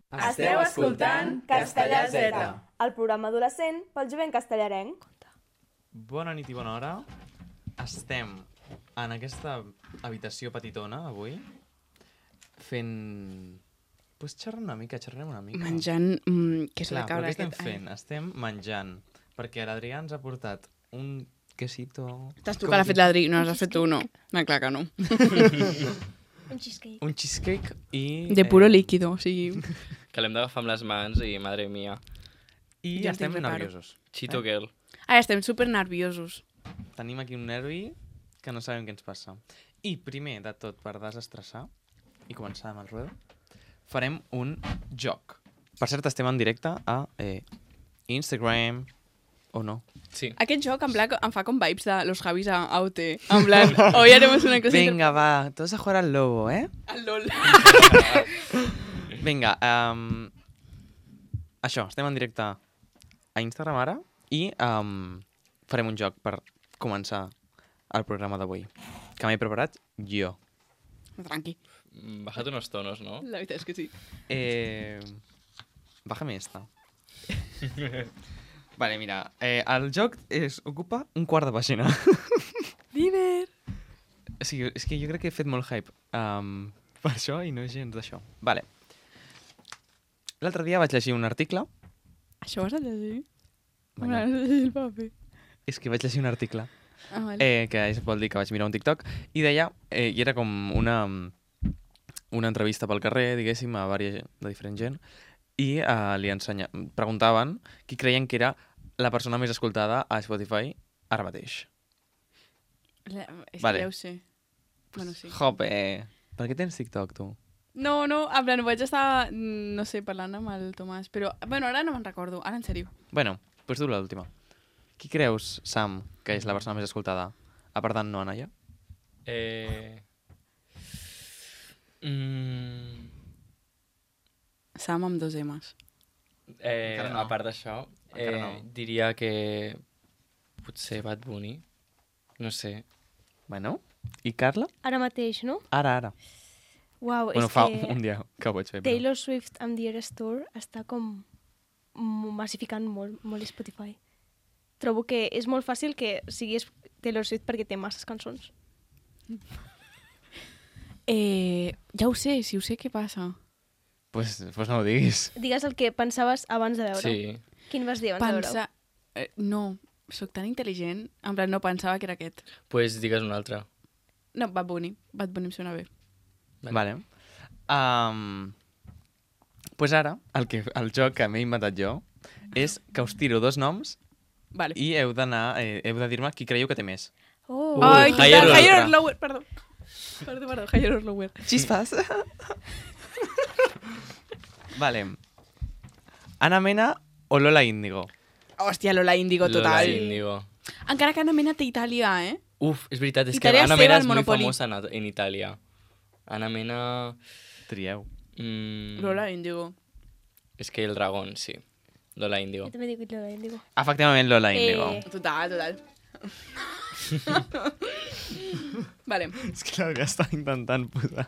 Esteu escoltant Castellà Z, el programa adolescent pel jovent castellarenc. Bona nit i bona hora. Estem en aquesta habitació petitona avui fent... Pues xerrarem una mica. Menjant... què és Clar, la cabra però què estem aquest? fent? Estem menjant, perquè l'Adrià ens ha portat un quesito... T'has tu que l'ha fet l'Adri, no l'has fet tu, no. No, clar que no. Un cheesecake. Un cheesecake i... De puro líquido, o sigui... Que l'hem d'agafar amb les mans i, madre mia, I Ja estem estic preparo. nerviosos. Chito girl. Ara estem super nerviosos. Tenim aquí un nervi que no sabem què ens passa. I primer de tot, per desestressar i començar amb el ruedo, farem un joc. Per cert, estem en directe a Instagram, o no? Sí. Aquest joc en plan, em fa com vibes de los Javis a OT. En plan, hoy haremos una cosa... Venga, va, todos a jugar al lobo, ¿eh? Al LOL. Vinga, això, estem en directe a Instagram ara i farem un joc per començar el programa d'avui, que m'he preparat jo. Tranqui. Bájate unos tonos, ¿no? La veritat és que sí. Bájame esta. Vale, mira, el joc ocupa un quart de pàgina. Diver. Sí, és que jo crec que he fet molt hype per això i no és gens d'això. Vale. L'altre dia vaig llegir un article. Això vas a llegir? Bueno, Vas a llegir el paper. és que vaig llegir un article Ah, vale. que vol dir que vaig mirar un TikTok i deia, i era com una entrevista pel carrer, diguéssim, a vària de diferent gent, i preguntaven qui creien que era la persona més escoltada a Spotify ara mateix. És vale. que ja ho sé. Bueno, sí. Jope, per què tens TikTok, tu? No, en plan, vaig estar, no sé, parlant amb el Tomàs, però, bueno, ara no me'n recordo, ara en sèrio. Bueno, doncs tu l'última. Qui creus, Sam, que és la persona més escoltada? A part d'en Noa Naya? Sam amb 2 M's. Encara no. A part d'això, Encara no. diria que potser Bad Bunny, no sé. Bueno, i Carla? Ara mateix, no? Ara. Uau, Bueno, és fa que un dia que ho vaig fer. Però... Taylor Swift amb The Eras Tour està com massificant molt Spotify. Trobo que és molt fàcil que siguis Taylor Swift perquè té masses cançons. Ja ho sé, si ho sé, què passa? Pues no ho diguis. Digues el que pensaves abans de veure-ho. Sí. Quin vas dir abans de veure-ho? No, sóc tan intel·ligent, en plan, no pensava que era aquest. Pues digues un altre. No, Bad Bunny em sona bé. Vale. Pues ara, el joc que m'he inventat jo és que us tiro 2 noms Vale. i heu de dir-me qui creieu que té més. Oh. Ai, Higher or higher lower. or lower, perdó, higher or lower. Xispas. Vale. Ana Mena o Lola Índigo? Hòstia, Lola Índigo, Lola total. Índigo. Encara que Ana Mena té Itàlia, eh? Uf, és veritat, és que Itàlia Ana seva Mena al és molt Monopoly. famosa en Itàlia. Ana Mena... Trieu. Lola Índigo. És que el dragón, sí. Lola Índigo. Jo també dic Lola Índigo. Efectivament, Lola Índigo. Total. Vale. És que l'Adrià està intentant posar...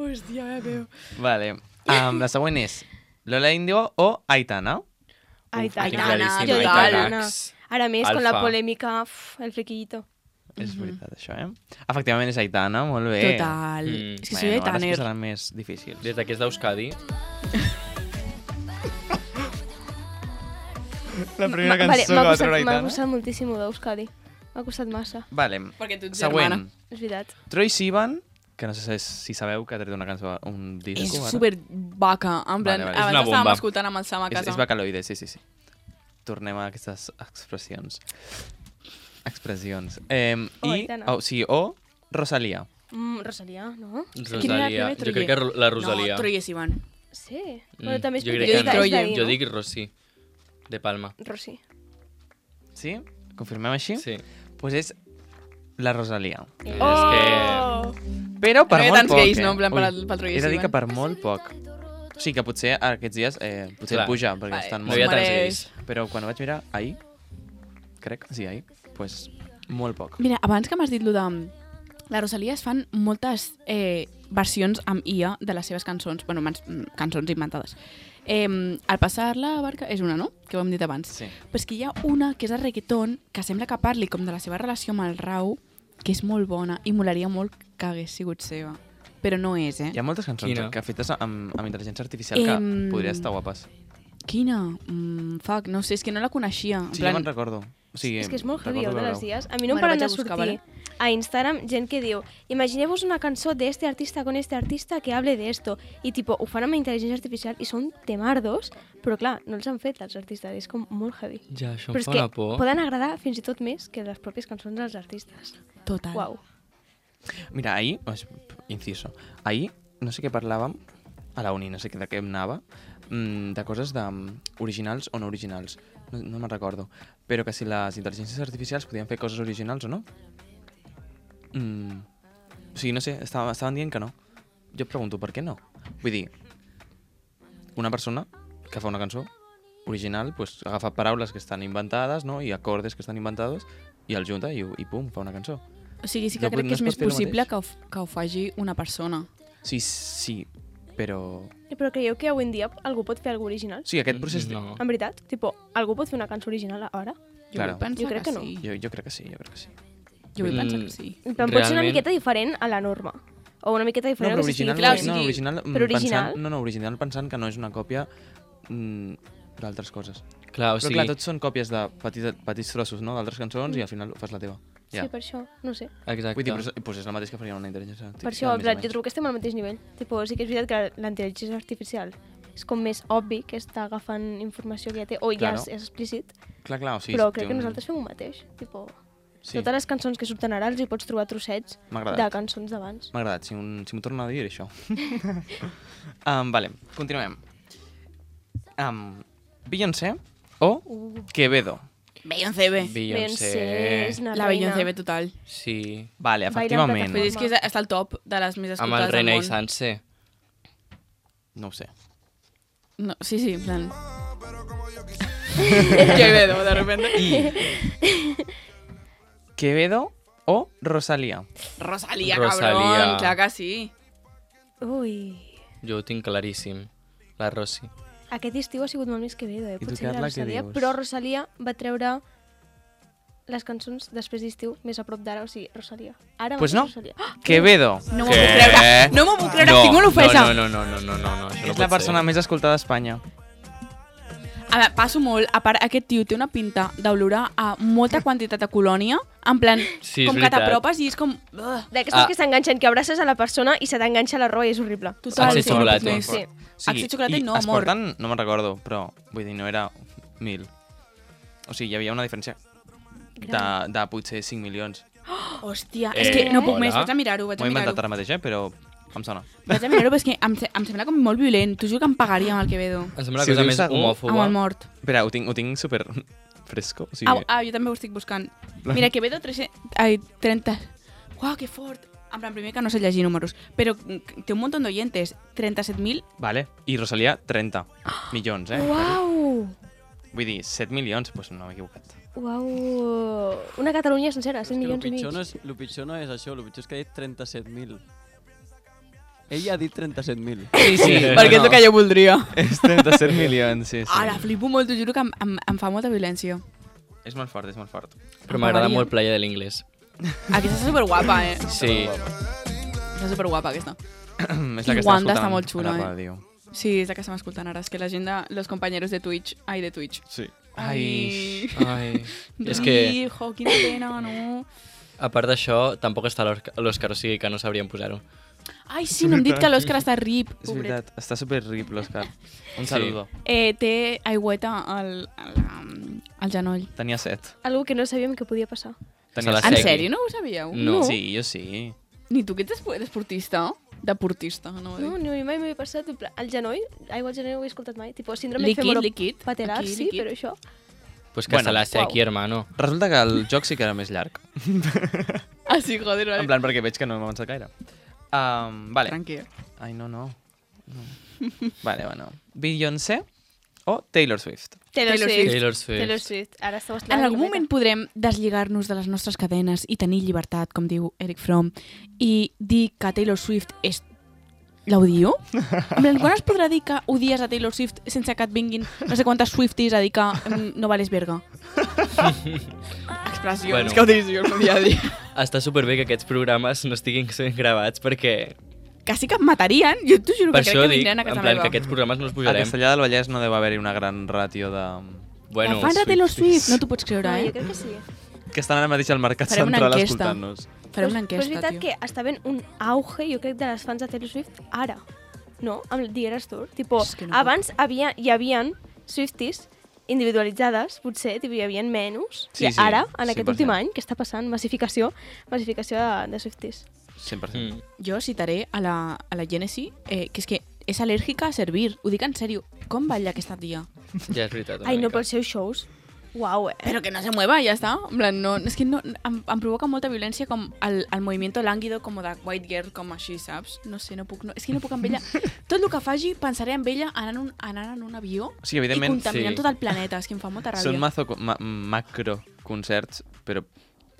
Hòstia, ja veu. Vale. La següent és Lola Índigo o Aitana? Aitana. claríssim, Jo dic Aitana. Aitana. Ara més, con la Alfa. polèmica, el flequillito. És veritat, això, Efectivament és Aitana, molt bé. Total. És que soy Bueno, ara es Aitaner. posaran més difícils. Des que és d'Euskadi, La primera Vale, cançó que va treure m'ha Aitana. costat moltíssim d'Euskadi. M'ha costat massa, Vale, Perquè tu ets següent. germana. és veritat. Troye Sivan, que no sé si sabeu que ha tret una cançó, un disco. És ara. super vaca. En plan, Vale, vale. És abans una estàvem bomba. escoltant amb el Sam a casa. És Vocaloide, sí. Tornem a aquestes expressions. Aitana. O Rosalía. Rosalia, no? Rosalia. primer, Jo crec que la Rosalia. No, Troye Sivan. Sí. Bueno, també és jo perquè crec és que de- és no. d'ahir, Jo no? dic Rossi, de Palma. Rossi. Sí? Confirmem així? Sí. Pues és la Rosalia. És Oh! Però per No hi ha molt tants poc, gais, no? En plan, Ui, pel Troye he de dir que Sivan. per molt poc. O sigui que potser aquests dies potser Clar. puja, perquè Vale. estan No molt... hi ha tants Mereix. gais. Però quan ho vaig mirar ahir, crec, sí, ahir, pues molt poc. Mira, abans que m'has dit lo de... La Rosalia es fan moltes versions amb IA de les seves cançons, bueno, cançons inventades. Al passar la barca és una, no? Que ho hem dit abans. Sí. Però és que hi ha una que és de reggaeton que sembla que parli com de la seva relació amb el Rau, que és molt bona i molaria molt que hagués sigut seva. Però no és, Hi ha moltes cançons Quina? que fetes amb intel·ligència artificial que podria estar guapes. Quina? Fuck, no sé, és que no la coneixia. Sí, jo me'n recordo. O sigui, És que és molt heavy, recordo de les veure-ho. dies. A mi no em Me la paren vaig de a buscar, sortir a Instagram gent que diu imagineu-vos una cançó de este artista con este artista que hable de esto. I tipo, ho fan amb intel·ligència artificial i són temardos, però clar, no els han fet els artistes, és com molt heavy. Ja, això Però em és fa que una por. poden agradar fins i tot més que les pròpies cançons dels artistes. Total. Uau. Mira, ahir, inciso, ahir no sé què parlàvem a la uni, no sé de què anava, de coses originals o no originals. No me'n recordo. Però que si les intel·ligències artificials podien fer coses originals o no. O sigui, no sé, estaven dient que no. Jo pregunto, per què no? Vull dir, una persona que fa una cançó original pues, agafa paraules que estan inventades, no? I acordes que estan inventados i el junta i pum, fa una cançó. O sigui, sí que No crec pot- que no és es més pot fer el possible mateix. que ho faci una persona. Sí, però... Però creieu que avui en dia algú pot fer alguna original? Sí, aquest procés... No. En veritat? Tipo, algú pot fer una cançó original ara? Jo Claro. vull pensar Jo crec que no. sí. Jo crec que sí, jo crec que sí. Jo vull pensar Mm. que sí. Però pot ser una Realment- miqueta diferent a la norma. O una miqueta No, diferent però al que s'estigui original, fent. clar, o no, sigui, original, però original? Pensant, original pensant que no és una còpia d'altres coses. Clar, o Però sigui, clar, tots són còpies de petits trossos, no?, d'altres cançons i al final fas la teva. Ja. Sí, per això, no sé. exacte. Vull dir, però és el mateix que faria una intel·ligència artificial. Per això, en més o plan, menys. jo trobo que estem al mateix nivell. Tipo, sí que és veritat que la intel·ligència artificial és com més obvi que està agafant informació que ja té, o ja Claro. és explícit, Clar, o sigui... però té crec que nosaltres fem el mateix. Tipo, Sí, totes les cançons que surten ara els hi pots trobar trossets m'ha de agradat. cançons d'abans. M'ha agradat, si m'ho torna a dir, això. Vale, continuem. Beyoncé o Quevedo? Beyoncé bé. Beyoncé. és una La reina. Beyoncé bé total. Sí. Vale, Baila en efectivament. Però és que està al top de les més Amb escoltades el del René i món. Sanse. No ho sé. No, sí, en plan... Quevedo, de repente. Quevedo o Rosalía? Rosalía, Rosalía. cabrón. Clar que sí. Ui, Jo ho tinc claríssim. La Rosy. aquest estiu ha sigut molt més Quevedo, tu, potser Carla, la què Rosalia, dius? però Rosalia va treure les cançons després d'estiu més a prop d'ara, o sigui, Rosalia. Ara Pues mateix no. Rosalia. Quevedo. No m'ho puc creure. No m'ho puc creure, tinc una ofensa. No, això no És la persona més escoltada d'Espanya. A veure, passo molt. A part, aquest tio té una pinta d'olorar a molta quantitat de colònia, en plan, Sí, és com que veritat. t'apropes i és com... Ugh. D'aquestes que s'enganxen, que abraces a la persona i se t'enganxa la roba i és horrible. Total, Axel sí, no puc Chocolate. més. Sí. Axel Chocolate i no, es amor. porten, no me'n recordo, però vull dir, no era 1.000. O sigui, hi havia una diferència de potser 5 milions. Hòstia, és que no puc més, hola. vaig a mirar-ho, vaig M'ho a he inventat mirar-ho. ara mateix, però em sona. Vaig a mirar-ho, però és que em sembla com molt violent. T'ho juro que em pagaria amb el Quevedo. Em sembla Si la ho cosa dius més segur, homòfoba. Amb el mort. Espera, ho tinc super fresco. O sigui, Jo també ho estic buscant. Mira, Quevedo 30... Uau, que fort. En plan, primer que no sé llegir números, però té un munt d'oyentes. 37.000. Vale. I Rosalía, 30 milions, Uau! Vull dir, 7 milions, doncs no m'he equivocat. Uau! Una Catalunya sencera, 100 milions i mig. El pitjor no és això, el pitjor és que ha dit 37.000. Ella ha dit 37.000. Sí, Perquè és el que jo voldria. És 37 milions, sí. Ara, flipo molt, t'ho juro que em fa molta violència. És molt fort, és molt fort. Però m'agrada Pagaria. molt Playa de l'Inglés. Aquesta és superguapa, Sí. Està superguapa, aquesta. És I la que Wanda escoltant està molt xula, a la eh? ràdio. Sí, és la que estem escoltant ara. És que la gent de los compañeros de Twitch... Ai, de Twitch. Sí. Ai. Ai. És que, Hijo, quina pena, no? a part d'això, tampoc està l'Òscar, o sigui que no sabrien posar-ho. Ai, sí, no hem dit que l'Òscar està rip. És Pobret. veritat, està super rip l'Òscar. Un Sí. saludo. Té aigüeta al genoll. Tenia 7. Algo que no sabíem que podia passar. Tenia la En segui. sèrio, no ho sabíeu? No. Sí, jo sí. Ni tu que ets esportista? Deportista, no? No, ni mai m'he passat. En plan, el genoll, aigua al genoll no ho he escoltat mai. Tipo, síndrome Líquid. patelar, Aquí, sí, líquid. però això... Pues que Bueno, se la sé aquí, uau. hermano. Resulta que el joc sí que era més llarg. Ah, sí, joder, En plan, perquè veig que no hem avançat gaire. Vale. Tranquil. Ai, no. Vale, bueno. Beyoncé o Taylor Swift? Taylor Taylor Swift. Taylor Swift. Taylor Swift. Ara esteu En esclarant algun moment podrem deslligar-nos de les nostres cadenes i tenir llibertat, com diu Eric Fromm, i dir que Taylor Swift és L'odio? En plan, quan es podrà dir que odies a Taylor Swift sense que et vinguin no sé quantes Swifties a dir que no vales verga? Expressions Bueno. que utilitzo el meu dia a dia. Està superbé que aquests programes no estiguin sent gravats perquè... Quasi que em matarien, jo t'ho juro Per que això crec que dic, vindran a en casa plan, meva. que aquests programes no els A posarem. Castellà del Vallès no deu haver-hi una gran ràtio de... Bueno, Fans de Taylor Swift, no t'ho pots creure, No, jo eh? crec que sí. que estan ara mateix al mercat Farem una central enquesta. escoltant-nos. Farem una Però és enquesta, veritat tio. que està havent un auge, jo crec, de les fans de Taylor Swift ara. No? Amb el The Eras Tour. Tipo, És que no abans hi havia Swifties individualitzades, potser, tipo, hi havia menys. Sí, I sí, ara, en aquest 100%. últim any, què està passant? Massificació de Swifties. 100%. Jo citaré a la Genesis, que és que és al·lèrgica a servir. Ho dic en sèrio. Com balla aquesta tia? Ja és veritat. una Ai, no, mica. pels seus shows. Uau, Però que no se mueva, ja està. En plan, no, és que no, em provoca molta violència com el movimiento lánguido com de White Girl, com així, saps? No sé, és que no puc amb ella. Tot el que faci, pensaré en ella anant en un avió Sí, evidentment, i contaminant sí. tot el planeta. És que em fa molta ràbia. Són macro concerts, però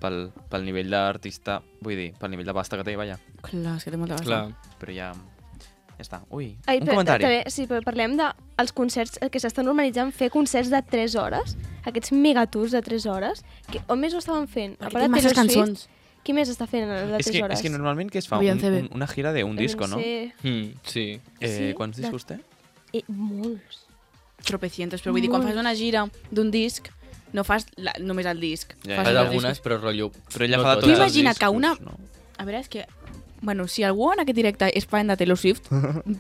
pel nivell d'artista, vull dir, pel nivell de pasta que té, vaja. Clar, és que té molta basta. Clar. Però ja està. Ui, Ai, un però, comentari. també, sí, però parlem dels concerts, que s'estan normalitzant fer concerts de 3 hores, aquests megatours de 3 hores, que on més ho estaven fent? Perquè A part té de masses Taylor Swift, cançons. qui més està fent els de 3 hores? És que normalment què es fa? Beyoncé bé. Una gira d'un disco, no? Sí. Sí. Sí, Quants de- discos té? Molts. Tropecientos, però vull dir, quan fas una gira d'un disc, no fas només el disc. Ja, fas Fas ja. els algunes, discos. però rotllo... Però ella no fa de totes. tots Tu els imagina't discos, que una- no? A veure, és que... Bueno, si algú en aquest directe és fan de Taylor Swift,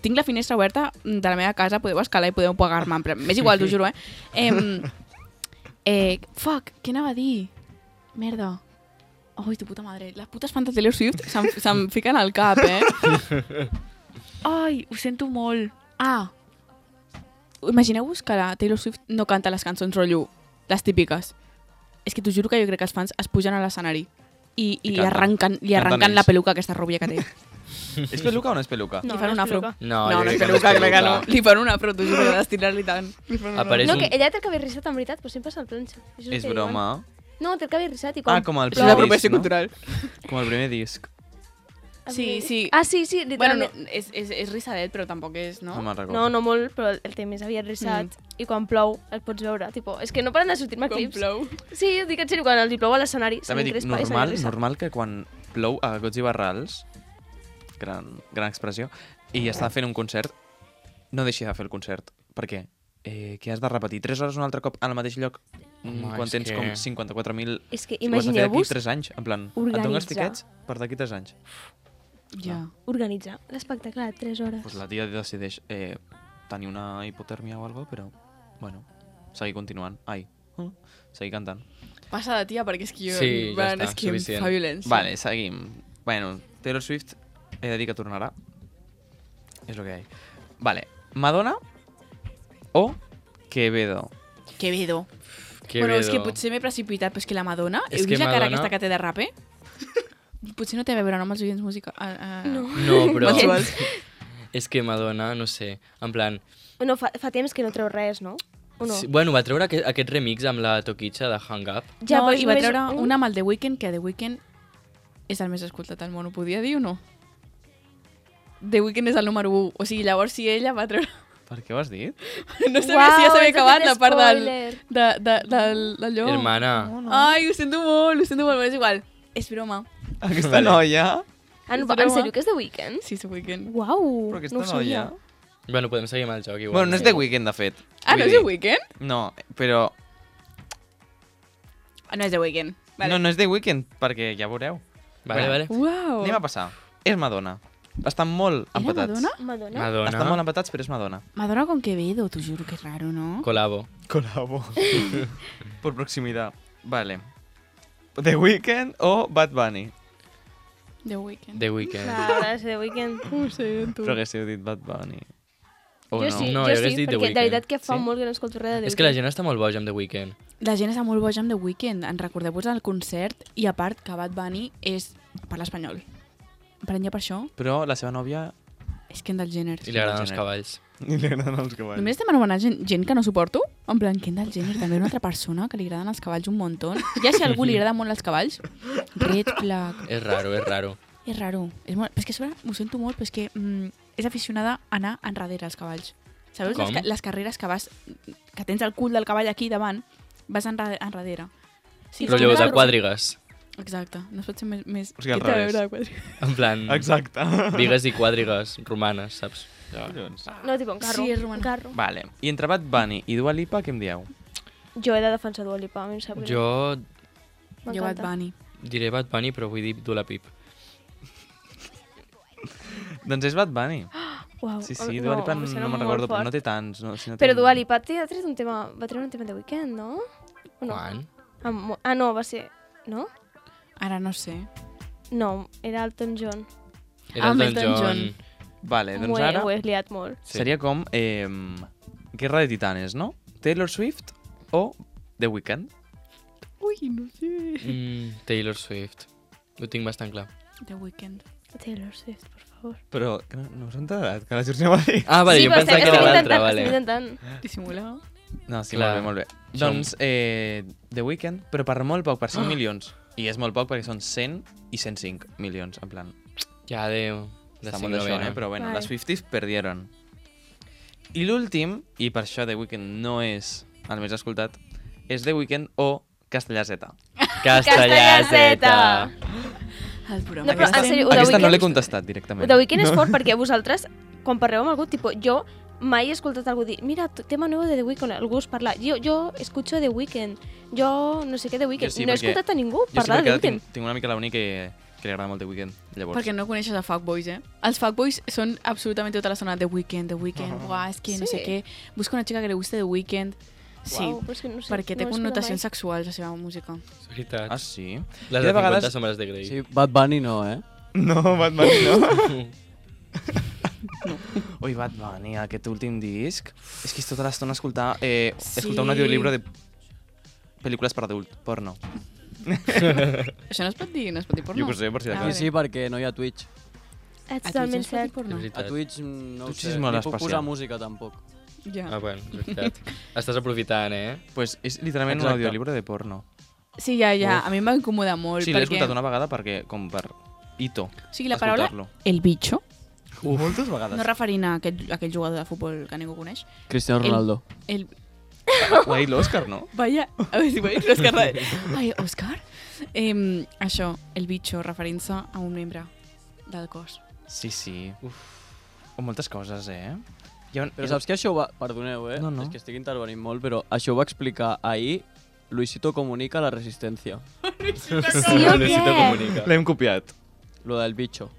tinc la finestra oberta de la meva casa, podeu escalar i podeu pagar-me. M'és igual, t'ho juro, Fuck, què anava a dir? Merda. Ai, tu puta madre. Les putes fans de Taylor Swift se'm fiquen al cap, Ai, ho sento molt. Ah, imagineu-vos que la Taylor Swift no canta les cançons rotllo, les típiques. És que t'ho juro que jo crec que els fans es pugen a l'escenari i canten. li arranquen Canten la ells. peluca aquesta rúbia que té. És peluca o no és peluca? No, Li fan no un és afro. peluca. No, no jo és crec que peluca, crec que no. peluca. Li fan un afro, t'ho juro, d'estirar-li tant. Li fan un Apareix No, un- que ella té el cabell rissat en veritat, però sempre se'l planxa. Això És el que broma. diuen. No, té el cabell rissat i quan... Ah, com el És primer una disc, apropiació no? cultural. Com el primer disc. Sí, sí. Ah, sí, Bueno, no, literalment. és rissadet, però tampoc és, no? No me'n recordo. No, no molt, però el té més aviat rissat. I quan plou el pots veure. Tipo, és que no paren de sortir-me clips. plou. Sí, ho dic en sèrio, quan els hi plou a l'escenari, se També dic, m'encrespa i se m'engrissa. normal que quan plou a gots i barrals, gran expressió, i està fent un concert, no deixi de fer el concert. Per què? Que has de repetir 3 hores un altre cop al mateix lloc Home, quan és tens que- com 54.000... És que Ho has de fer d'aquí imagineu-vos 3 anys, en plan, et dono els organitzar. tiquets per d'aquí 3 anys. Ja. organitzar l'espectacle de 3 hores. Pues la tia decideix tenir una hipotèrmia o alguna cosa, però, bueno, seguir continuant. Ai, seguir cantant. Passa de tia, perquè és que jo... Sí, ja està, és que suficient. em fa violència. Vale, seguim. Bueno, Taylor Swift, he de dir que tornarà. És el que hi ha. Vale, Madonna o Quevedo? Quevedo. Quevedo. Bueno, és que potser m'he precipitat, però és que la Madonna... És Heu que vist la cara Madonna- aquesta que té de rape? Potser no té a veure no, amb els oients música. No. No, però... Mensuals. És que Madonna, no sé, en plan... No, fa temps que no treu res, no? O no? Sí, bueno, va treure aquest remix amb la Toquicha de Hang Up. Ja, no, però és i va només treure una amb el The Weeknd, que The Weeknd és el més escoltat al món, ho podia dir o no? The Weeknd és el número 1, o sigui, llavors si ella va treure... Per què ho has dit? No sabia si ja s'havia ens ha acabat fet la part spoiler. d'allò. Hermana. Ai, ho sento molt, però és igual. És broma. Aquesta noia... Ah, no, És en broma. sèrio, que és The Weeknd? Sí, és The Weeknd. Uau, Però aquesta no ho sabia. noia... Bueno, podem seguir amb el joc igual. Bueno, no és The Weeknd, de fet. Ah, Vull no és dir- The Weeknd? No, però... Ah, no és The Weeknd. No, no és The Weeknd, perquè ja veureu. Vale, vale. Uau. Anem a passar. És Madonna. Estan molt Era empatats. Madonna? Madonna? Madonna. Estan molt empatats, però és Madonna. Madonna con Quevedo, t'ho juro que és raro, no? Colabo. Colabo. Por proximidad. Vale. The Weeknd o Bad Bunny? The Weeknd. The Weeknd. Clar, és The Weeknd. Ho sento. Però haguéssiu dit Bad Bunny. O Jo no? sí, No, jo jo hagués sí, dit The perquè de Weeknd. veritat que fa Sí? molt que no escolto res de The És que la Weeknd. gent està molt boja amb The Weeknd. La gent està molt boja amb The Weeknd. En recordeu-vos el concert i a part que Bad Bunny parla espanyol. Per ja per això Però la seva nòvia... és Kendall Jenner. I li agraden els Jenner. cavalls. Li agraden els cavalls. Només estem anomenant gent que no suporto? En plan, Kendall Jenner també una altra persona que li agraden els cavalls un muntó. Ja si a algú li agraden molt els cavalls, red flag. És raro, és raro. És raro. És molt... Però és que a sobre, ho sento molt, però és que és aficionada a anar enrere als cavalls. Sabeu Com? les carreres que tens el cul del cavall aquí davant, vas enrere. Sí, Però allò de quadrigues. Exacte, no es pot ser més... O sigui, al Què té a revés. veure de quadrigues? En plan, Exacte. vigues i quadrigues romanes, saps? Ja. No, tipo, un carro. Sí, és romana. Un carro. Vale. I entre Bad Bunny i Dua Lipa, què em dieu? Jo he de defensar Dua Lipa, a mi em sap greu. Jo Jo Bad M'encanta. Bunny. diré Bad Bunny, però vull dir Dua Pip. Doncs és Bad Bunny. Uau, Sí, sí, Dua Lipa em sembla no me'n molt recordo, però fort. no té tants. No, si no Però té... Dua Lipa ha tret un tema, va treure un tema de Weekend, no? O no? Quan? No, va ser... No? Ara no sé. No, era Elton John. Era el Elton Don John. John. Vale, doncs ara Ho he liat molt. Sí. seria com Guerra de Titanes, no? Taylor Swift o The Weeknd? Ui, no sé. Taylor Swift. Ho tinc bastant clar. The Weeknd. Taylor Swift, por favor. Però que no us he enterat, que la Georgia m'ha dit. Ah, vale, jo però pensava que estem era l'altre, intentant, vale. estem intentant. Dissimula. No, sí, Clar. molt bé, molt bé. Som- Doncs The Weeknd, però per molt poc, per 5 milions. I és molt poc perquè són 100 i 105 milions, en plan. Ja, de Està 5 molt d'això, novena. però bueno, Vale. les Swifties perdieron. I l'últim, i per això The Weeknd no és el més escoltat, és The Weeknd o Castellà Z. Castellà Z. El programa. No, però en sèrio, The Aquesta no Weeknd- l'he contestat directament. The Weeknd és fort perquè vosaltres, quan parleu amb algú, tipo, jo mai he escoltat algú dir, mira, tema nuevo de The Weeknd, algú us parla. Jo escucho The Weeknd, jo no sé què The Weeknd. Jo sí, no he perquè escoltat a ningú Jo parlar sí, de The perquè Weeknd. tinc una mica la Uni que li agrada molt The Weeknd. Llavors, Perquè no coneixes a fuckboys, eh? Els fuckboys són absolutament tota la zona The Weeknd, buah, és que no sé Sí. què. Busca una xica que li guste The Weeknd. Sí, Uau, però és que no sé, perquè té no ho he escoltat connotacions mai. sexuals la seva música. És veritat. Ah, sí? Les Jo de de 50 vegades- sombres de Grey. Sí, Bad Bunny no, eh? No, Bad Bunny no. Ui, Bad Bunny, aquest últim disc. És que és tota l'estona escoltar, escoltar un Sí. audiolibro de pel·lícules per adult, porno. Això no es pot dir, no es pot dir porno. Jo què sé, per si de Ah, cas. vale. Sí, perquè no hi ha Twitch. Ets A totalment Twitch es pot dir cert. porno? És A veritat. Twitch no ho Twitch sé, és molt ni puc especial. posar música tampoc. Ja. Ah, bueno, és veritat. Estàs aprofitant, eh? Pues és literalment un Exacte. audiolibro de porno. Sí, ja. Uf. A mi em va incomodar molt. Sí, l'he perquè... escoltat una vegada perquè, com per hito. O sigui, la paraula escoltar-lo. el bicho, Moltes vegades. no referint a aquell jugador de futbol que ningú coneix, Cristiano El- Ronaldo. el... Ho ha dit l'Òscar, no? Vaya, a veure si veig l'Òscar. Ai, Òscar? Això, el bicho, referint-se a un membre del cos. Sí, sí. O moltes coses, eh? Però saps que això ho va... Perdoneu, eh? No, no. És que estic intervenint molt, però això ho va explicar ahir Luisito Comunica a la Resistència. Sí o Necessito què? comunicar. L'hem copiat. Lo del bicho,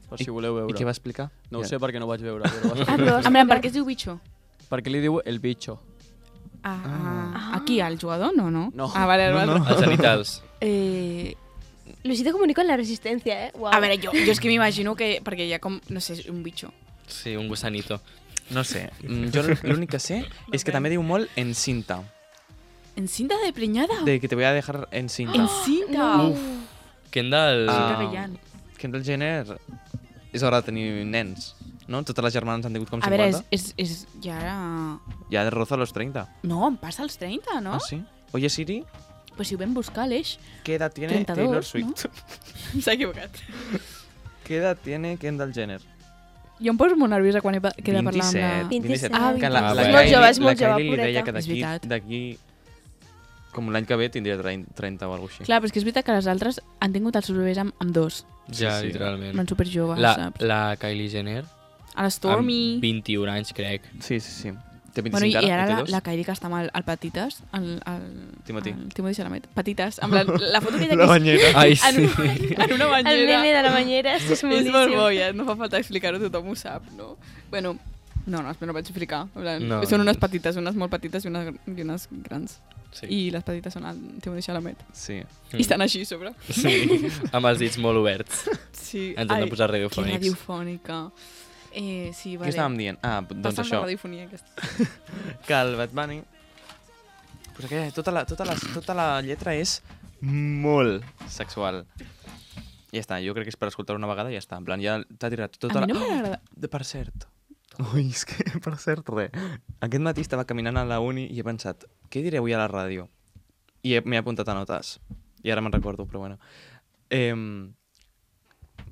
per si voleu veure. I què va explicar? No ho Ja. sé perquè no ho vaig veure, però va Ah, però En plan, per què es diu bicho? perquè li diu el bicho. Aquí, al jugador? No. No. Ah, vale, No, vale. no. Els genitals. Luisito comunica en la Resistència, eh? Uau. A veure, jo és que m'imagino que... Perquè hi ha com, no sé, un bicho. Sí, un gusanito. No sé. Jo l'únic que sé és que també diu molt encinta. ¿En cinta de preñada? De que te voy a dejar encinta. ¿En cinta? No. Kendall... Ah. Gagallán. Kendall Jenner és hora de tenir nens, no? Totes les germanes han tingut com A 50. veure, és ja... Ja de roza los 30. No, em passa als 30, no? Ah, sí? Oye, Siri, Pues si ho vam buscar, l'Eix. ¿qué edad tiene 32, Taylor Swift? S'ha equivocat. ¿Qué edad tiene Kendall Jenner? Jo em poso molt nerviosa quan he de parlar amb 27. la... 27. Ah, Que 27. la És Kylie- molt jove, és molt la Kylie jove, li deia pureta. que És veritat. d'aquí com l'any que ve tindria 30 o alguna cosa així. Clar, però és que és veritat que les altres han tingut els seus bebès amb dos. Ja, Sí, sí. literalment. Van superjoves, saps? La Kylie Jenner, A la Stormy... amb 21 anys, crec. Sí, sí, sí. Té 25 Bueno, i ara, ara té la, dos. la Kylie que està amb el Patites, el Timothy. Timothy Chalamet. Patites, amb la foto que hi ha La aquí banyera. Ai, en, sí. en una El banyera. meme de la banyera, és És molt boníssim. bo, ja, no fa falta explicar-ho, tothom ho sap, no? Bueno, no, no vaig explicar. En plan, No. Són unes petites, unes molt petites i unes grans. Sí. I les petites són el Timothy Chalamet. Sí. I estan així a sobre. Sí, amb els dits molt oberts. Sí. Ens hem de posar Que radiofònics. radiofònica. Sí, Què vale. estàvem dient? Ah, doncs Bastant això. de radiofonia, aquesta. Que el Bad Bunny... Pues aquella, tota la lletra és molt sexual. I ja està, jo crec que és per escoltar una vegada i ja està. En plan, ja t'ha tirat tota A mi la... no m'agrada. Per cert. Ui, és que, per cert, res. Aquest matí estava caminant a la uni i he pensat, què diré avui a la ràdio? I m'he apuntat a notes. I ara me'n recordo, però bueno.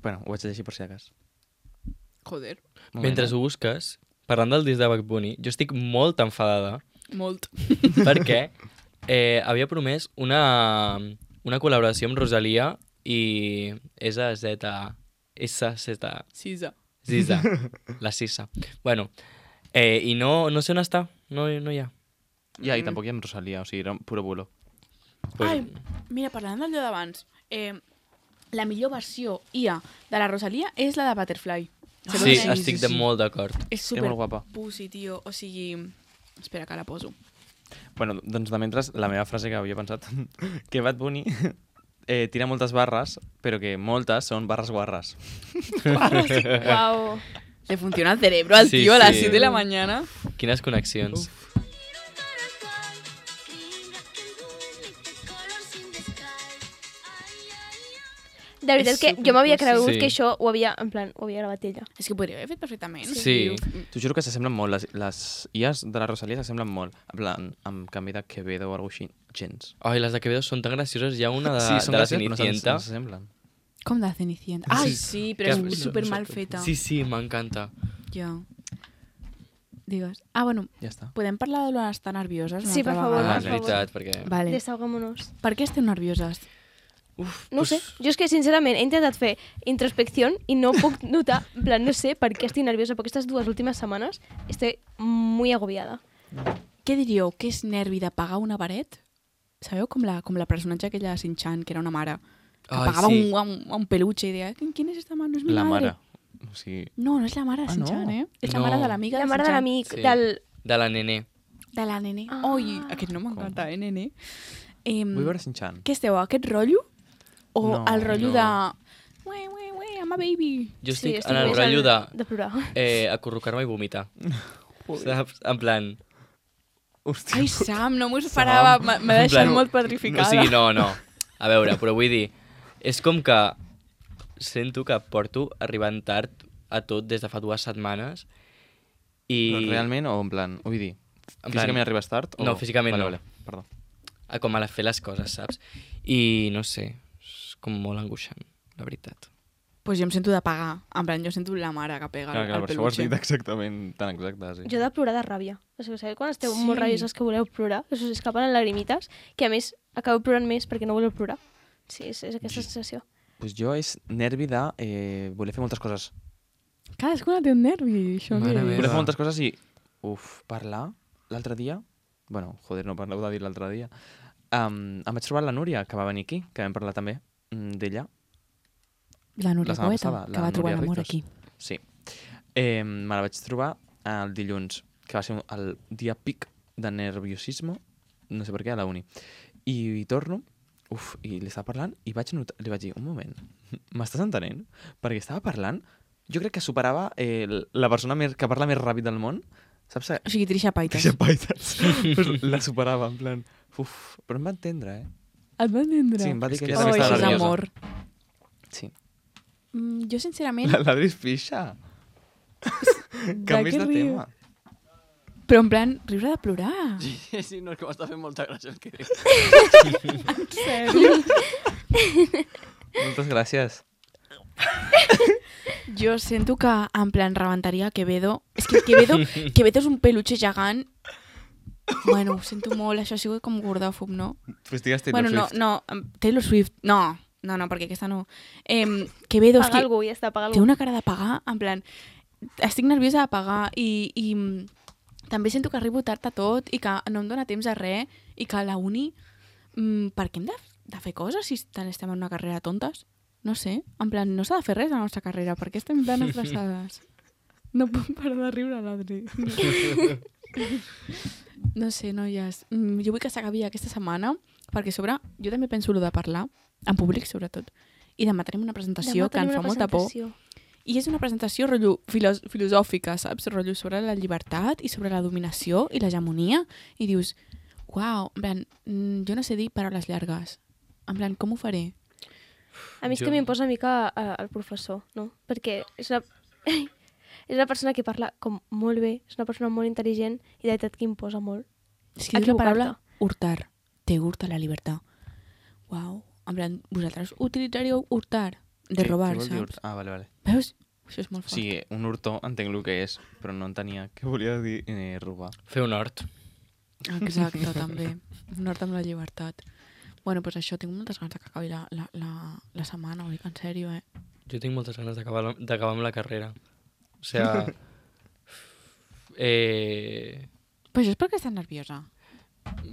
Bueno, ho vaig llegir per si de cas. Joder, Mentre ho busques, parlant del disc de Bad Bunny, jo estic molt enfadada molt. perquè havia promès una col·laboració amb Rosalia i SZ. Sisa. Ziza, la Sisa. Bueno, i no sé on està, no hi ha. Ja, i tampoc hi ha amb Rosalia, o sigui, era puro bulo. Ai, mira, parlant d'allò d'abans, la millor versió IA de la Rosalia és la de Butterfly. Sí, estic molt d'acord. És És molt guapa. super pussy, tio. O sigui... Espera, que la poso. Bueno, doncs de mentre, la meva frase que havia pensat, que Bad Bunny tira moltes barres, però que moltes són barres guarres. Uau. Le funciona el cerebro al Sí, tío a las sí. 7 de la mañana. Quines connexions. De veritat És que jo m'havia cregut Sí. que això ho havia gravat ella. És que podria haver fet perfectament. Sí. T'ho juro que s'assemblen molt, les IAs de la Rosalia s'assemblen molt, en plan, amb canvi de Quevedo o alguna cosa així, gens. Ai, les de Quevedo són tan gracioses. Hi ha una Sí, són de la gràcies, però Cenicienta. no s'assemblen. Com de Cenicienta. Ai, sí, però Que- és super mal feta. Sí, m'encanta. Ja. Digues. Ah, bueno, Ja està. podem parlar de l'estar nervioses? una Sí, per altra favor, vegada? És veritat, perquè... Vale. Desahogámonos. Per què esteu nervioses? No ho sé, jo és que sincerament he intentat fer introspecció i no puc notar, en plan, no sé per què estic nerviosa, perquè aquestes 2 últimes setmanes estoy muy agobiada. Què diríeu? Que és nervi de pagar una paret? Sabeu com la personatge aquella de Shin-chan, que era una mare, que Ai, pagava sí. un peluche i deia, ¿quién es esta mare? No és mi La madre. mare. O sigui, No, no és la mare de Ah, Shin-chan, no? És la No. mare de l'amiga La de mare de Shin-chan. l'amic, Sí. del... De la nene. De la nene. Ah. Oi, aquest nom m'encanta, nene. vull veure Shin-chan. Què esteu, aquest rotllo? O No, el rotllo no. de... Ue, I'm a baby. Jo Sí, estic en el més rotllo de plorar. acurrucar-me i vomitar. Saps? En plan... Hòstia. Ai, Sam, no m'ho esperava. M'ha En deixat plan, molt petrificada. O sigui, no. A veure, però vull dir, és com que sento que porto arribant tard a tot des de fa 2 setmanes i... Però realment o en plan, vull dir, En plan- físicament arribes tard? O... No, físicament no. Vale, perdó. a com a fer les coses, saps? I no sé, és com molt angoixant, la veritat. Pues jo em sento de pagar. En plan, jo sento la mare que pega Clar, el per això ho has peluche. dit exactament tan exacte, sí. Jo he de plorar de ràbia. O sigui, sabeu quan esteu Sí. molt rabioses que voleu plorar? Us escapen les lagrimites, que a més acabeu plorant més perquè no voleu plorar. Sí, és aquesta sensació. Pues jo és nervi de voler fer moltes coses. Cadascuna té un nervi, això. Mare que- meva. Voler fer moltes coses i... Parlar l'altre dia... Bueno, joder, no parleu de dir l'altre dia. Em vaig trobar la Núria, que va venir aquí, que vam parlar també d'ella. La Núria La setmana Poeta, passada, que la va trobar Núria l'amor Rizos. aquí. Sí. Me la vaig trobar el dilluns, que va ser el dia pic de nerviosisme, no sé per què, a la uni. I torno, i li estava parlant, i li vaig dir, un moment, m'estàs entenent? Perquè estava parlant, jo crec que superava la persona que parla més ràpid del món, saps? O sigui, Trisha Paytas. Trisha Paytas. Pues la superava, en plan, però em va entendre, eh? Et va entendre? Sí, em va dir que És ella que també Oh, estava això és nerviosa. amor. Sí. Jo, sincerament, L'Adri és pixa. Canvis de riu? tema. Però en plan, riure de plorar. Sí, no, és que m'està fent molta gràcia el que diu. En sèrio? Moltes gràcies. Jo sento que, en plan, rebentaria Quevedo. És que Quevedo és un peluche gegant. Bueno, ho sento molt, això ha sigut com gordòfob, no? Pues digues Taylor Bueno, Swift. no, Taylor Swift, no, perquè aquesta no. Quevedo, és Paga que algú, ja està, paga té algú. una cara de pagar, en plan, estic nerviosa de pagar i també sento que arribo tard a tot i que no em dóna temps a res i que a la uni, per què hem de fer coses si tant estem en una carrera de tontes? No sé, en plan, no s'ha de fer res a la nostra carrera, per què estem tan estressades? No puc parar de riure, l'Adri. No sé, noies. Jo vull que s'acabi aquesta setmana, perquè a sobre jo també penso lo de parlar, en públic sobretot, i demà tenim una presentació que em fa molta por. I és una presentació rotllo filosòfica, saps? Rotllo sobre la llibertat i sobre la dominació i l'hegemonia. I dius, uau, en plan, jo no sé dir paraules llargues. En plan, com ho faré? A mi és Jo- que m'imposa una mica el professor, no? Perquè és una persona que parla com molt bé, és una persona molt intel·ligent i de veritat que imposa molt. És que diu la paraula Equivocar-te. hurtar. Te hurta la llibertat. Uau. En plan, vosaltres utilitzaríeu hurtar? De robar, Què vol dir saps? Ah, vale. Veus? Això és molt O fort. sigui, un hurto entenc el que és, però no entenia què volia dir robar. Fer un hort. Exacte, també. Un hort amb la llibertat. Bueno, doncs això, tinc moltes ganes que acabi la setmana, ho dic en sèrio, Jo tinc moltes ganes d'acabar amb la carrera. O sea... Però això és perquè estàs nerviosa.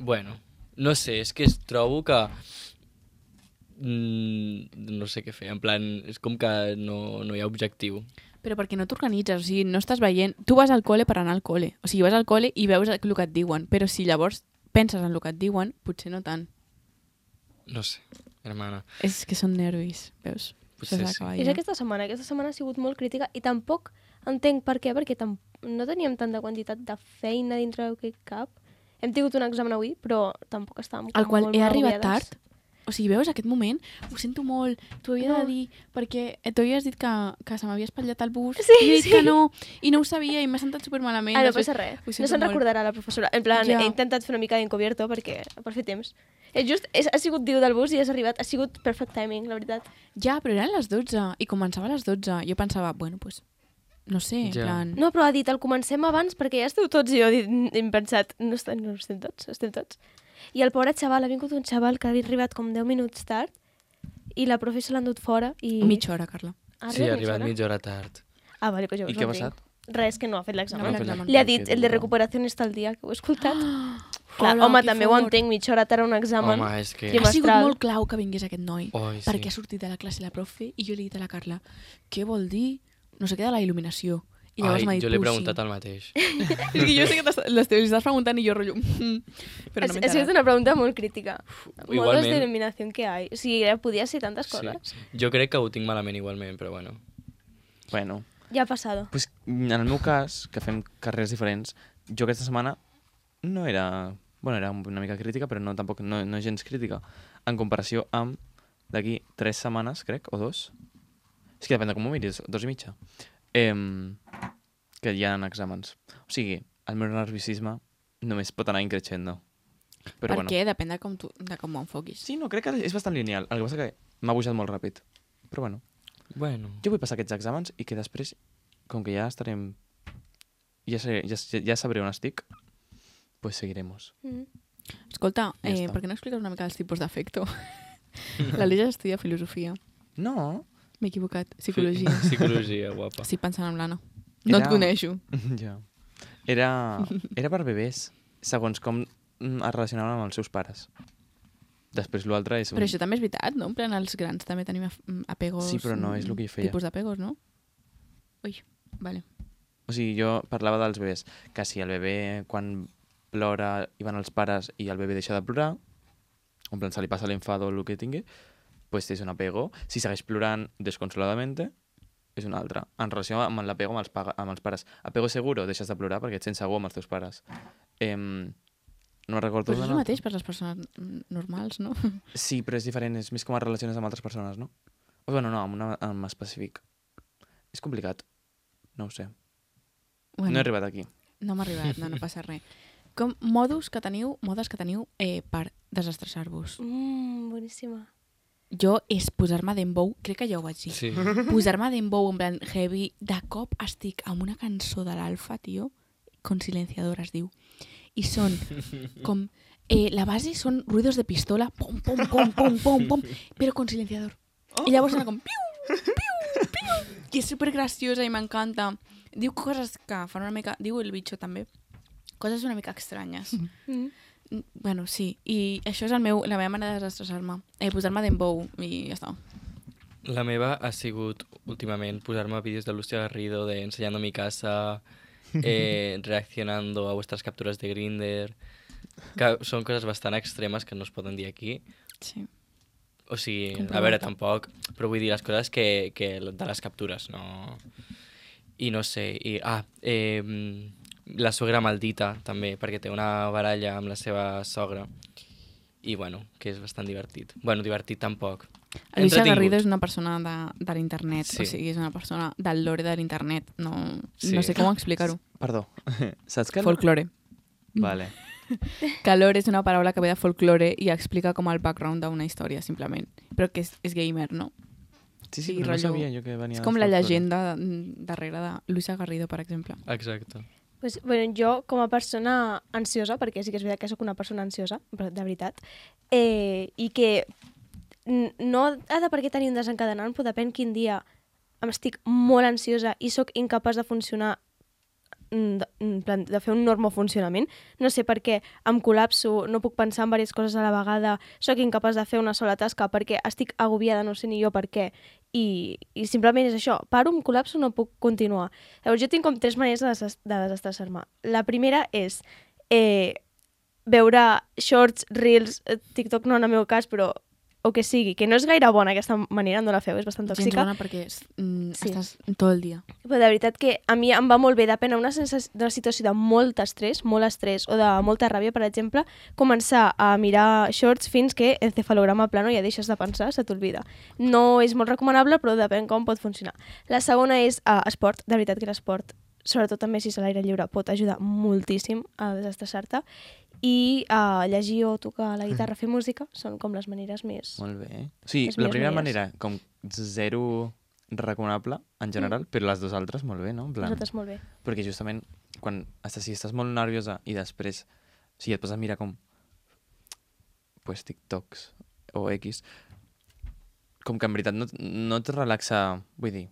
Bueno, no sé, és que trobo que... no sé què fer, en plan, és com que no hi ha objectiu. Però perquè no t'organitzes, o sigui, no estàs veient... Tu vas al col·le per anar al col·le. O sigui, vas al col·le i veus el que et diuen. Però si llavors penses en el que et diuen, potser no tant. No sé, hermana. És que són nervis, veus? Potser Això sí. s'acaba És ja. aquesta setmana. Aquesta setmana ha sigut molt crítica i tampoc entenc per què, perquè no teníem tanta quantitat de feina dintre d'aquest cap. Hem tingut un examen avui, però tampoc estàvem Al qual molt he arribat agobiades. tard. O sigui, veus, aquest moment, ho sento molt, t'ho havia de dir, perquè tu havies dit que se m'havia espatllat el bus, Sí, i he dit sí. que no, i no ho sabia, i m'he sentat supermalament. Ah, no després- passa res. ho No sento se'n molt. recordarà la professora. En plan, Ja. he intentat fer una mica d'encobierto per fer temps. Ha sigut diu del bus i has arribat. Ha sigut perfect timing, la veritat. Ja, però eren les 12, i començava a les 12. Jo pensava, bueno, pues, no sé, en Ja. plan... No, però ha dit, el comencem abans perquè ja esteu tots. I jo he pensat, no estem tots, estem tots. I el pobre xaval, ha vingut un xaval que ha arribat com 10 minuts tard i la profe se l'ha endut fora i... Mitja hora, Carla. Sí, ha arribat mitja hora tard. Ah, vale, pues jo I què ha passat? Res, que no ha fet l'examen. No ha fet l'examen. Li ha dit, el de recuperació està al dia, que ho he escoltat. Clar, Hola, home, que també ho fort. entenc, mitja hora tard a un examen. Home, és que... Trimestral. Ha sigut molt clau que vingués aquest noi, Oi, sí. perquè ha sortit de la classe la profe i jo li he dit a la Carla, què vol dir? No sé què de la il·luminació. I llavors m'ha Ai, dit, jo l'he "Pushing". preguntat el mateix. És que jo sé que l'estàs preguntant i jo rotllo. Però no m'he Ha sigut enterat. una pregunta molt crítica. Modos igualment. de eliminación que hay. O sigui, podia ser tantes Sí, coses. sí. Jo crec que ho tinc malament igualment, però bueno. Bueno, Ja ha passat. pues, en el meu cas, que fem carreres diferents, jo aquesta setmana no era... Bueno, era una mica crítica, però tampoc no gens crítica. En comparació amb d'aquí 3 setmanes, crec, o 2. És que depèn de com ho miris, 2 i mitja. Que hi ha exàmens. O sigui, el meu nerviosisme només pot anar increixendo. Però Per què? Depèn de com ho enfoquis. Sí, no, crec que és bastant lineal. El que passa que m'ha pujat molt ràpid. Però bueno, Bueno. jo vull passar aquests exàmens i que després, com que ja estarem... Ja sabré on estic, pues seguiremos. Escolta, Ja està. per què no expliques una mica els tipus d'afecto? La Lígia estudia filosofia. No. M'he equivocat. Psicologia. Psicologia, guapa. Estic pensant en l'Anna. No et coneixo. Ja. Era per bebès, segons com es relacionaven amb els seus pares. Després l'altre és... Però això també és veritat, no? En plan, els grans també tenim apegos... Sí, però no és el que jo feia. Tipus d'apegos, no? Ui, vale. O sigui, jo parlava dels bebès, que si el bebè quan plora i van els pares i el bebè deixa de plorar, en plan se li passa l'enfado o el que tingui, pues és un apego. Si segueix plorant desconsoladamente, és un altre. En relació amb l'apego amb els pares. Apego seguro, deixes de plorar perquè et sents segur amb els teus pares. No recordo... Però és el mateix per les persones normals, no? Sí, però és diferent, és més com es relaciones amb altres persones, no? O bueno, no, amb específic. És complicat. No ho sé. Bueno, No he arribat aquí. no m'ha arribat, no passa res. Com modes que teniu per desestressar-vos. Boníssima. Jo és posar-me dembow, crec que ja ho vaig dir. Sí. Posar-me dembow en plan heavy, de cop estic amb una cançó de l'Alfa, tio, con silenciador es diu, i són com, la base són ruidos de pistola, pom, pom, pom, pom, pom, pom, però con silenciador. I llavors sona com piu, piu, piu, i és supergraciosa i m'encanta. Diu coses que fan una mica, diu el bitxo també, coses una mica estranyes. Bueno, sí, i això és la meva manera de desestressar-me. Posar-me dembow i ja està. La meva ha sigut, últimament, posar-me vídeos de Lucia Garrido de enseñando mi casa, reaccionando a vuestras capturas de Grindr, que són coses bastant extremes que no es poden dir aquí. Sí. O sigui, Comprovat. a veure, tampoc, però vull dir les coses que de les captures, no... I no sé, la suegra maldita, també, perquè té una baralla amb la seva sogra. I, bueno, que és bastant divertit. Bueno, divertit tampoc. Alicia Entretingut. Garrido és una persona de l'internet, Sí. o sigui, és una persona del lore de l'internet. No, Sí. no sé com explicar-ho. Perdó. Saps que... Folklore. Vale. Que lore és una paraula que ve de folklore i explica com el background d'una història, simplement. Però que és gamer, no? Sí, Sí, però no rotllo- sabia jo que venia... És com la d'Estat, però- llegenda darrere de Luisa Garrido, per exemple. Exacte. Pues, bueno, jo, com a persona ansiosa, perquè sí que és veritat que sóc una persona ansiosa, però de veritat, i que no ha de per què tenir un desencadenant, però depèn quin dia estic molt ansiosa i sóc incapaç de funcionar, en plan, de fer un normal funcionament. No sé per què em col·lapso, no puc pensar en diverses coses a la vegada, sóc incapaç de fer una sola tasca perquè estic agobiada, no sé ni jo per què, i simplement és això, paro, em col·lapso, no puc continuar. Llavors jo tinc com 3 maneres de desestressar-me. La primera és veure shorts, reels, TikTok no en el meu cas, però o que sigui, que no és gaire bona aquesta manera, no la feu, és bastant Gens tòxica. bona perquè Sí. estàs tot el dia. Però de veritat que a mi em va molt bé, depèn d'una situació de molt estrès o de molta ràbia, per exemple, començar a mirar shorts fins que el cefalograma plano ja deixes de pensar, se t'olvida. No és molt recomanable, però depèn com pot funcionar. La segona és esport. De veritat que l'esport, sobretot també si és a l'aire lliure, pot ajudar moltíssim a desestressar-te. I llegir o tocar la guitarra, fer música, són com les maneres més... Molt bé. Sí, Les la millors primera maneres. manera, com zero recomanable, en general, però les dues altres molt bé, no? En plan, Nosaltres molt bé. perquè justament, si estàs molt nerviosa i després, si et poses a mirar com pues, TikToks o X, com que en veritat no et relaxa, vull dir,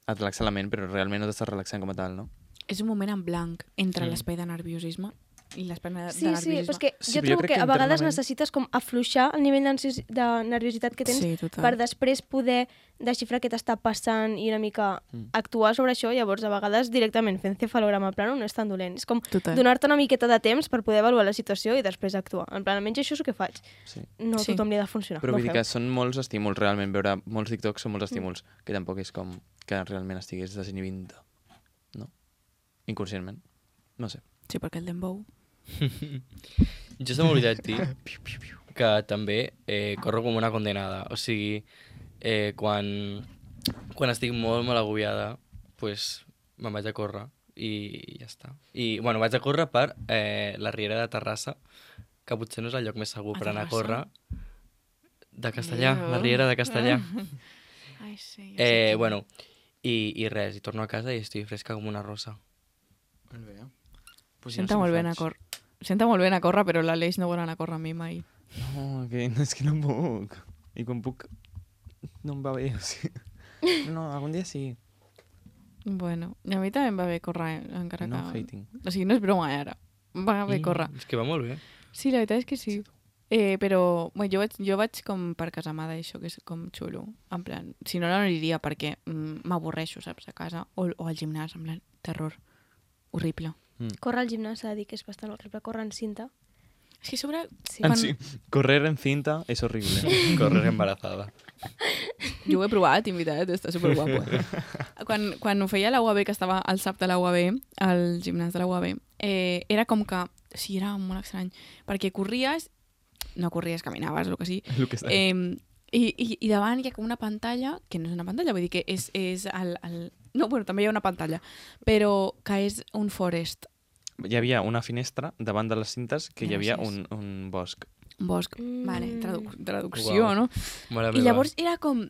et relaxa la ment, però realment no t'estàs relaxant com a tal, no? És un moment en blanc entre l'espai de nerviosisme i l'espai de Sí, nerviosisme. però és que Sí, jo però jo trobo crec que que a vegades internament- necessites com afluixar el nivell de nerviositat que tens Sí, total. per després poder desxifrar què t'està passant i una mica actuar sobre això. Llavors, a vegades, directament fent cefalograma plano no és tan dolent. És com Total. donar-te una miqueta de temps per poder avaluar la situació i després actuar. En plan, almenys això és el que faig. Sí. No a Sí. tothom li ha de funcionar. Però no vull dir feu. que són molts estímuls, realment, veure molts TikToks són molts estímuls, que tampoc és com que realment estigués desinhibint, no? Inconscientment. No sé. Sí, perquè el dembow... Jo se m'ha oblidat dir que també corro com una condenada. O sigui, quan estic molt, molt agobiada, pues, me'n vaig a córrer i ja està. I, bueno, vaig a córrer per la Riera de Terrassa, que potser no és el lloc més segur A per anar a Terrassa? córrer. De Castellà, la Riera de Castellà. Ai, sí. Ja sé quina. Bueno, i res, i torno a casa i estic fresca com una rosa. Molt bé. Pues Senta molt bé anar a córrer. Senta molt bé anar a córrer, però l'Aleix no vol anar a córrer amb mi mai. No, és que no puc. I quan puc, no em va bé. O sigui. No, algun dia sí. Bueno, i a mi també em va bé córrer, encara No que... hating. O sigui, no és broma, ara. Va bé córrer. És que va molt bé. Sí, la veritat és que sí. Però bueno, jo vaig com per casamada, això, que és com xulo. En plan, si no, no aniria perquè m'avorreixo, saps, a casa. O al gimnàs, en plan, terror. Horrible. Córrer al gimnàs s'ha de dir que és bastant horrible. Córrer en cinta. És que a sobre... Sí. En sí, correr en cinta és horrible. Correr embarazada. Jo ho he provat, invitat, està superguapo. Quan ho feia a la UAB, que estava al SAP de la UAB, al gimnàs de la UAB, era com que... Sí, era molt estrany. Perquè corries... No corries, caminaves, el que sí. El que està. I davant hi ha com una pantalla, que no és una pantalla, vull dir que és el... No, bueno, també hi ha una pantalla, però que és un forest, Hi havia una finestra davant de les cintes que hi havia Gràcies. un bosc. un bosc. Vale, traducció, Uau. no? Mare I meva. llavors era com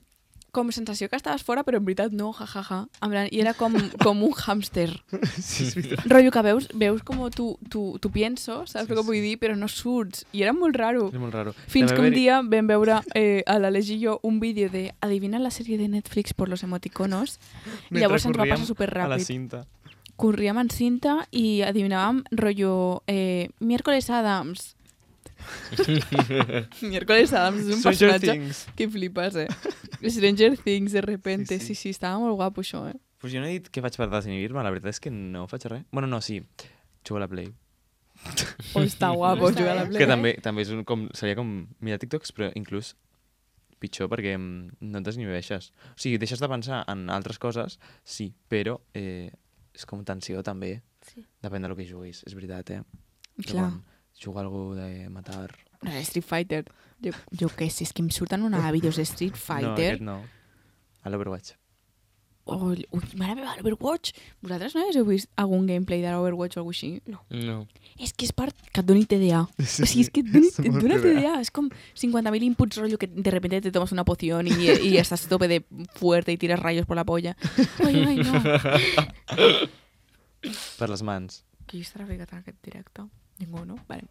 sensació que estaves fora, però en veritat no, jajaja. En plan, i era com un hàmster. Sí, és veritat. Rotllo que veus com tu pienso, saps el que vull dir? Però no surts. I era molt raro. És molt raro. Fins També que un va haver-hi- dia vam veure a l'Aleix i jo un vídeo de adivina la sèrie de Netflix por los emoticonos i llavors ens va corríem passar super a la ràpid. cinta. Corríem en cinta i adivinàvem rotllo Miércoles Adams. Miércoles Adams és un Stranger personatge Things. que flipes, Stranger Things, de repente. Sí, sí. Sí, estava molt guapo això, Pues jo no he dit què faig per desinhibir-me, la veritat és que no faig res. Bueno, no, sí, jugo a la Play. Oh, està guapo Està jugar a la bé. Play. Que també és seria com mirar TikToks, però inclús pitjor perquè no et desinhibeixes. O sigui, deixes de pensar en altres coses, sí, però és com tensió també. Sí. Depèn del que juguis, és veritat, Però Clar. quan juga algú de matar... Street Fighter. Jo què sé, és que em surten una vídeos de Street No, Fighter. aquest no. A l'Overwatch. Ui, mare meva, l'Overwatch. Vosaltres no heu vist algun gameplay de l'Overwatch o alguna cosa així? No. És que és part que et doni TDA. O sigui, és que et dona TDA. És com 50.000 inputs, rollo, que de repente te tomas una poción y estás a tope de fuerte y tiras rayos por la polla. Ai, no. Per les mans. Qui estarà ficat en aquest directe? Ningú, no? Vale.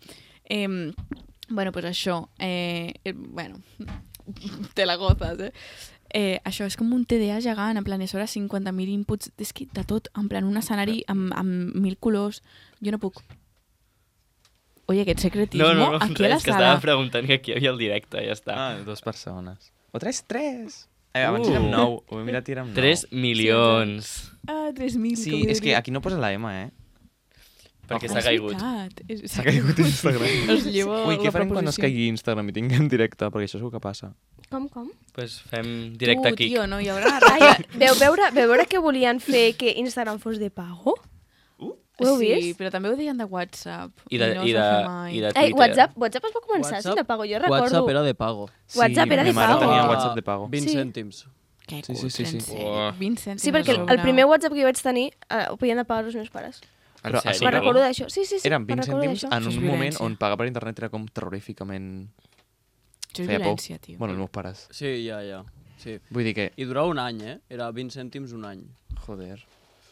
Bueno, pues això. Bueno, te la gozes, això és com un TDA gegant, en plan, és hora 50.000 inputs, és que de tot, en plan, un escenari amb 1.000 colors. Jo no puc. Oye, aquest secretismo, aquí a la és que sala. estava preguntant que aquí hi havia el directe, ja està. 2 persones. O 3. Abans érem 9. Ho he mirat i érem 9. 3 milions. 3.000. Sí, és que aquí no posa la M, Perquè s'ha caigut. S'ha caigut Instagram. Es llevo Ui, què la farem quan es proposició. caigui Instagram i tinguem directe? Perquè això és el que passa. Com? Pues fem directe aquí. Tio, no hi haurà Ai, veu veure que volien fer que Instagram fos de pago? Ho heu Sí, vist? però també ho deien de WhatsApp. I de, no i es de, va fer mai. i de Ai, Twitter. WhatsApp es va començar WhatsApp- sent de pago, jo recordo. WhatsApp era de pago. WhatsApp era de ma mare pago. tenia WhatsApp de pago. 20 Sí. cèntims. Que Sí, sí, sí, sí. cutre, en Uah. sèrio. 20 cèntims Sí, perquè a sobre. el primer WhatsApp que jo vaig tenir ho podien de pagar els meus pares. Però, sèrio? sí, Me'n recordo d'això. Sí, eren me'n 20 recordo cèntims d'això. en Això és un moment violència. on pagar per internet era com terroríficament... Això és feia por. violència, tio. Bueno, els meus pares. Sí, ja. Sí. Vull dir que... I durava un any, Era 20 cèntims un any. Joder.